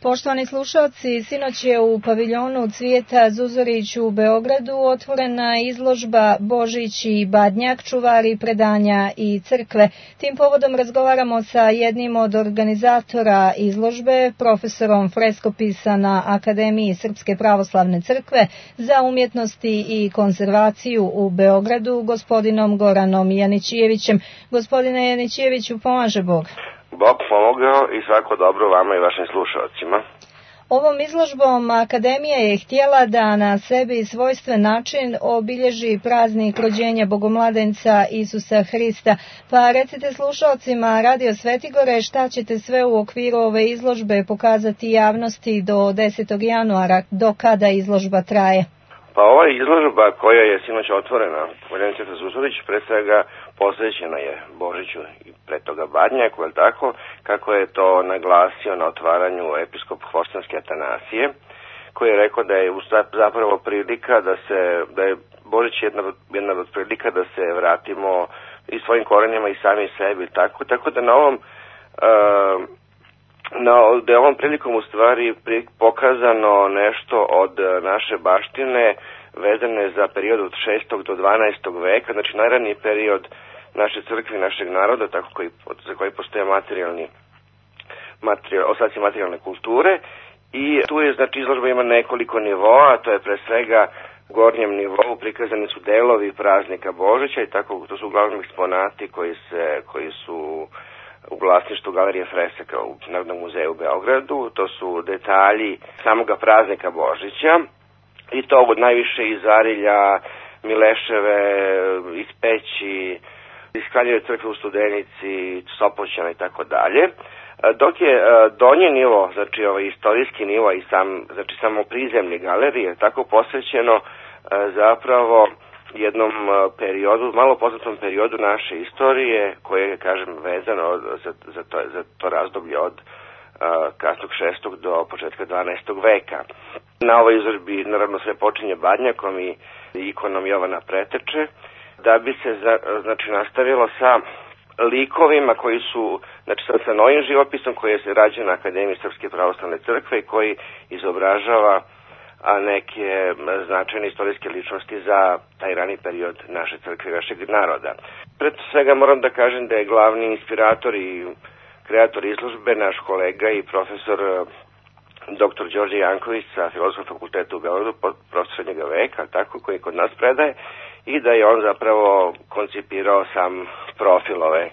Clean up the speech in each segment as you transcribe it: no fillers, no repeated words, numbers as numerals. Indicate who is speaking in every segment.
Speaker 1: Poštovani slušalci, sinoć je u paviljonu Cvijeta Zuzorić u Beogradu otvorena izložba Božić i Badnjak, čuvari predanja i crkve. Tim povodom razgovaramo sa jednim od organizatora izložbe, profesorom freskopisa na Akademiji Srpske pravoslavne crkve za umjetnosti i konzervaciju u Beogradu, gospodinom Goranom Janićijevićem. Gospodine Janićijeviću, pomaže Bog.
Speaker 2: Bog pomogao i svako dobro vama i vašim slušalcima.
Speaker 1: Ovom izložbom Akademija je htjela da na sebi svojstven način obilježi praznik rođenja Bogomladenca Isusa Hrista. Pa recite slušalcima Radio Svetigore šta ćete sve u okviru ove izložbe pokazati javnosti do 10. januara, do kada izložba traje?
Speaker 2: Pa ova izložba koja je sinoć otvorena u paviljonu Cvijeta Zuzorić pre svega posvećena je Božiću i pre toga Badnjaku, je tako, kako je to naglasio na otvaranju episkop Hvostanski Atanasije, koji je rekao da je zapravo prilika da je Božić jedna od prilika da se vratimo i svojim korenima i sami sebi, tako da da je ovom prilikom u stvari pokazano nešto od naše baštine vezane za period od 6. do 12. veka, znači najraniji period naše crkve i našeg naroda, za koji postoje ostaci materijalne kulture. I tu je, znači, izložba ima nekoliko nivoa, to je pre svega u gornjem nivou prikazani su delovi praznika Božića i tako, to su uglavnom eksponati koji su u vlasništvu Galerije Fresaka u Narodnom muzeju u Beogradu. To su detalji samoga praznika Božića i to od najviše iz Arilja, Mileševe, iz Peći, iz Kraljeve crkve u Studenici, Sopoćana i tako dalje. Dok je donji nivo, znači ovaj istorijski nivo i samo prizemlje galerije, tako posvećeno zapravo jednom periodu, malo poznatom periodu naše istorije, koje je, kažem, vezano za to razdoblje od kasnog 6. do početka 12. veka. Na ovoj izložbi naravno sve počinje Badnjakom i ikonom Jovana Preteče, da bi se nastavilo sa likovima koji su, znači sa novim živopisom koji je rađen na Akademiji Srpske pravoslavne crkve i koji izobražava neke značajne istorijske ličnosti za taj rani period naše crkve i našeg naroda. Pred svega moram da kažem da je glavni inspirator i kreator izložbe naš kolega i profesor dr. Đorđe Janković sa Filozofskog fakulteta u Beogradu, profesor srednjega veka, tako, koji kod nas predaje, i da je on zapravo koncipirao sam profil ove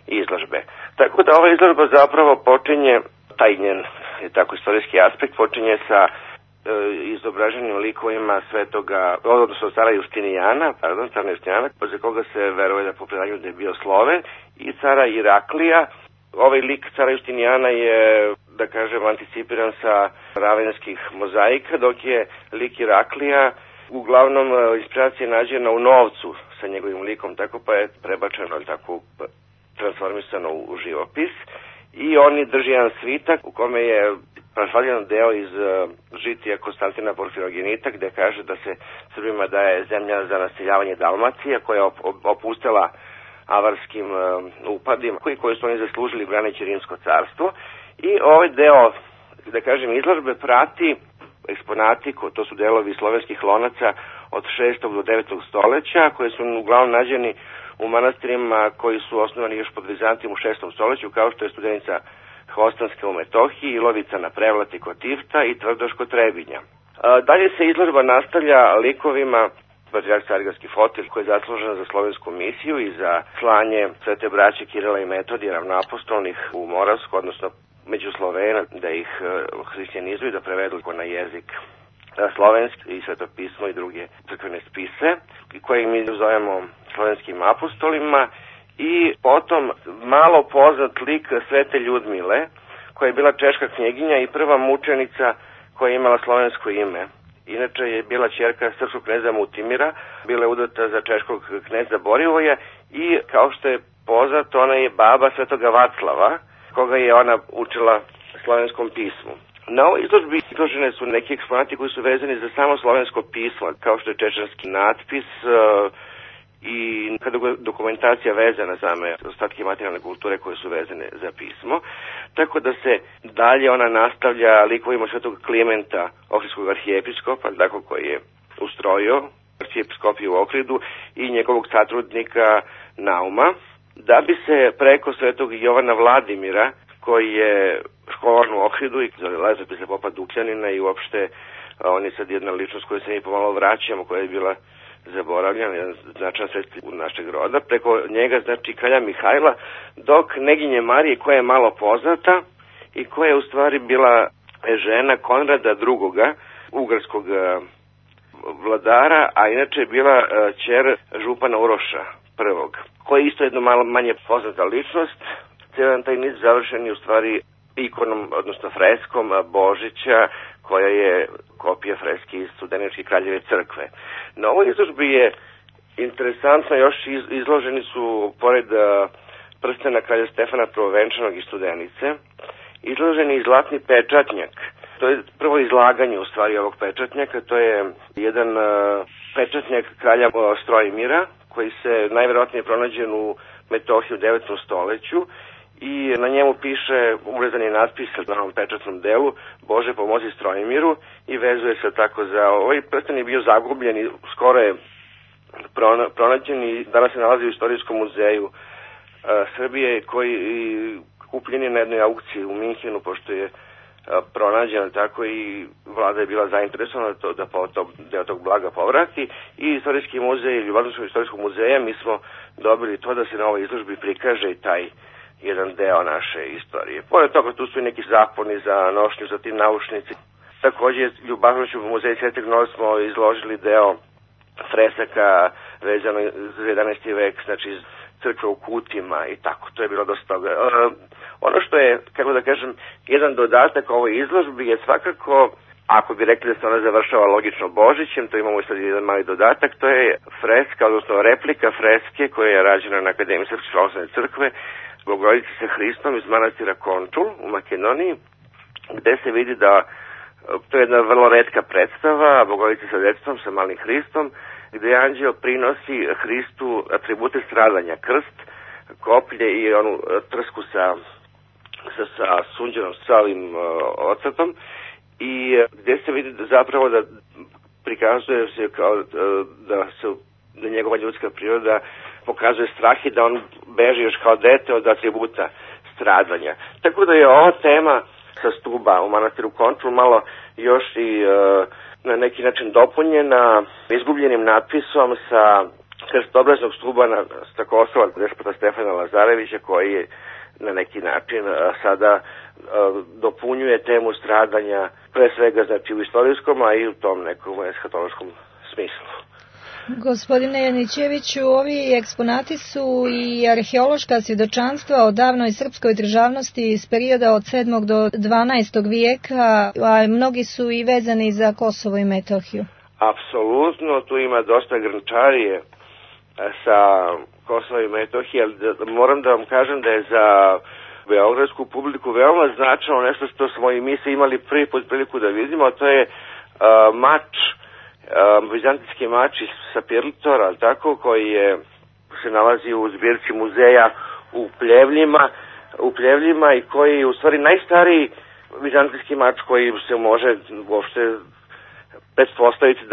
Speaker 2: izložbe. Tako da ova izložba zapravo počinje, taj njen tako istorijski aspekt počinje sa izobraženim likovima cara Justinijana, za koga se veruje da po predanju da je bio Sloven, i cara Iraklija. Ovaj lik cara Justinijana je, da kažem, anticipiran sa ravenskih mozaika, dok je lik Iraklija uglavnom inspiracija nađena u novcu sa njegovim likom, tako pa je prebačeno, tako transformisano u živopis. I on drži jedan svitak u kome je proslavljen deo iz žitija Konstantina Porfirogenita, gde kaže da se Srbima daje zemlja za naseljavanje Dalmacije, koja je opustela avarskim upadima koji su oni zaslužili braneći Rimsko carstvo. I ovaj deo, da kažem, izložbe prati eksponati, to su delovi slovenskih lonaca od 6. do 9. stoleća, koje su uglavnom nađeni u manastirima koji su osnovani još pod Vizantijom u 6. stoleću, kao što je Studenica Hvostanska u Metohiji, Ilovica na Prevlati kod Tifta i Tvrdoš kod Trebinja. Dalje se izložba nastavlja likovima patrijarh Carigradski Fotilj, koji je zaslužen za slovensku misiju i za slanje svete braće Kirila i Metodija ravnoapostolnih u Moravsku, odnosno među Slovena, da ih hrišćanizuju, da prevedu na jezik slovenski i svetopismo i druge crkvene spise, koje mi zovemo slovenskim apostolima. I potom malo poznat lik svete Ljudmile, koja je bila češka knjeginja i prva mučenica koja je imala slovensko ime. Inače je bila ćerka srpskog kneza Mutimira, bila je udata za češkog kneza Borivoja i, kao što je poznato, ona je baba svetoga Vaclava, koga je ona učila slovenskom pismu. Na ovoj izložbi izložene su neki eksponati koji su vezani za samo slovensko pismo, kao što je čečanski natpis i kada dokumentacija vezana za ostatke materijalne kulture koje su vezane za pismo, tako da se dalje ona nastavlja likovima svetog Klimenta, ohridskog arhijepiskopa, tako koji je ustrojio arhijepiskopiju u Ohridu i njegovog satrudnika Nauma, da bi se preko svetog Jovana Vladimira, koji je školovan u Ohridu i za letopise popa Dukljanina i uopšte on je sad jedna ličnost koju se mi pomalo vraćamo, koja je bila zaboravljena, jedan značajan svetski u našeg roda, preko njega, znači kralja Mihajla, dok neginje Marije, koja je malo poznata i koja je u stvari bila žena Konrada II, ugarskog vladara, a inače je bila ćer župana Uroša I, koji je isto jedno malo manje poznata ličnost. Cijel taj niz završen je u stvari ikonom, odnosno freskom Božića, koja je kopija freske iz Studeničke kraljeve crkve. Na ovoj izložbi je interesantno, još izloženi su, pored prstena kralja Stefana Prvovenčanog iz Studenice, izloženi i zlatni pečatnjak. To je prvo izlaganje u stvari ovog pečatnjaka, to je jedan pečatnjak kralja Strojmira, koji se najverovatnije pronađen u Metohiji u 9. stoleću, i na njemu piše urezani natpis na ovom pečatnom delu: Bože pomozi Strojmiru, i vezuje se tako za ovaj prsten. Je bio zagubljen i skoro je pronađen i danas se nalazi u Istorijskom muzeju Srbije, koji kupljen je na jednoj aukciji u Minhenu, pošto je pronađen, tako i vlada je bila zainteresovana da deo tog blaga povrati, i Istorijski muzej ili Vladinskog istorijskog muzeja mi smo dobili to da se na ovoj izložbi prikaže i taj jedan deo naše istorije. Pored toga tu su i neki zaponi za nošnju, za tim naučnici. Takođe, Ljubavnošću u muzeju Svetog Nova smo izložili deo fresaka vezano za 11. vek, znači iz crkve u Kutima i tako. To je bilo dosta toga. Ono što je, kako da kažem, jedan dodatak ovoj izložbi je svakako, ako bi rekli da se ona završava logično Božićem, to imamo i sad jedan mali dodatak, to je freska, odnosno replika freske koja je rađena na Akademiji Srpske pravoslavne crkve Bogorodice sa Hristom iz manastira Končul u Makedoniji, gde se vidi da to je jedna vrlo retka predstava Bogorodice sa detetom, sa malim Hristom, gde anđeo prinosi Hristu atribute stradanja, krst, koplje i onu trsku sa sunđenom, sa ovim ocrtom, i gde se vidi zapravo da prikazuje se kao da njegova ljudska priroda pokazuje strah i da on beži još kao dete od atributa stradanja. Tako da je ova tema sa stuba u manastiru Končul malo još i na neki način dopunjena izgubljenim natpisom sa krstobraznog stuba sa Kosova despota Stefana Lazarevića, koji je na neki način sada dopunjuje temu stradanja, pre svega znači u istorijskom, a i u tom nekom eshatološkom smislu.
Speaker 1: Gospodine Janićeviću, ovi eksponati su i arheološka svjedočanstva o davnoj srpskoj državnosti iz perioda od 7. do 12. vijeka, a mnogi su i vezani za Kosovo i Metohiju.
Speaker 2: Apsolutno, tu ima dosta grnčarije sa Kosova i Metohije, ali moram da vam kažem da je za beogradsku publiku veoma značajno nešto što smo i mi se imali prvi put priliku da vidimo, a to je mač, vizantijski mač iz Sapirlitora, tako, koji se nalazi u zbirci muzeja u Pljevljima i koji je u stvari najstariji vizantijski mač koji se može uopšte pretpostaviti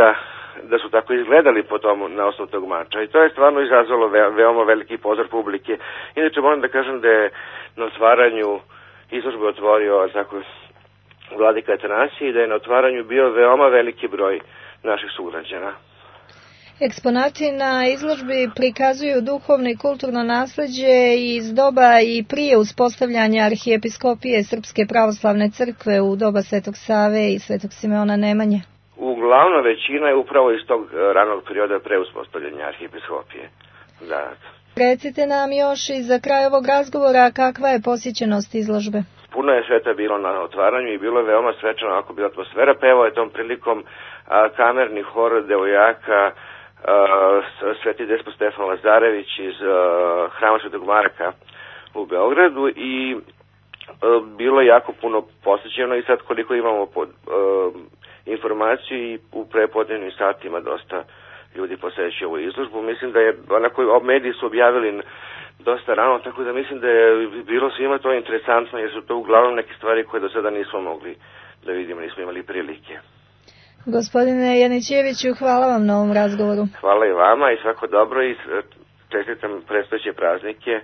Speaker 2: da su tako izgledali na osnovu tog mača, i to je stvarno izazvalo veoma veliki pozor publike. Inače moram da kažem da je na otvaranju izložbe otvorio tako vladika Atanasije i da je na otvaranju bio veoma veliki broj naših sugrađana.
Speaker 1: Eksponati na izložbi prikazuju duhovno i kulturno nasleđe iz doba i prije uspostavljanja arhijepiskopije Srpske pravoslavne crkve u doba Svetog Save i Svetog Simeona Nemanje.
Speaker 2: Uglavnom većina je upravo iz tog ranog perioda pre uspostavljanja arhijepiskopije. Da.
Speaker 1: Recite nam još i za kraj ovog razgovora kakva je posjećenost izložbe?
Speaker 2: Puno je sveta bilo na otvaranju i bilo je veoma svečano, ako bila atmosfera. Pevao je tom prilikom kamerni hor devojaka Sveti despot Stefan Lazarević iz Hrama Svetog Marka u Beogradu, i bilo je jako puno posjećeno, i sad koliko imamo informaciju i u prepodnevnim satima dosta ljudi posećuju ovu izložbu. Mislim da je onako mediji su objavili dosta rano, tako da mislim da je bilo svima to interesantno, jer su to uglavnom neke stvari koje do sada nismo mogli da vidimo, nismo imali prilike.
Speaker 1: Gospodine Janićeviću, hvala vam na ovom razgovoru.
Speaker 2: Hvala i vama i svako dobro i čestitam predstojeće praznike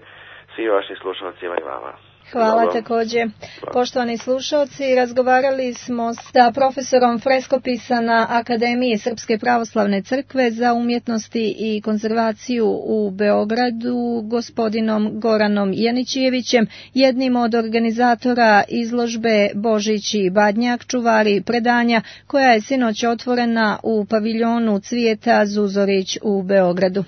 Speaker 2: svim vašim slušalcima i vama.
Speaker 1: Hvala također. Poštovani slušalci, razgovarali smo sa profesorom freskopisa na Akademiji Srpske pravoslavne crkve za umjetnosti i konzervaciju u Beogradu, gospodinom Goranom Janićevićem, jednim od organizatora izložbe Božić i Badnjak, čuvari predanja, koja je sinoć otvorena u paviljonu Cvijeta Zuzorić u Beogradu.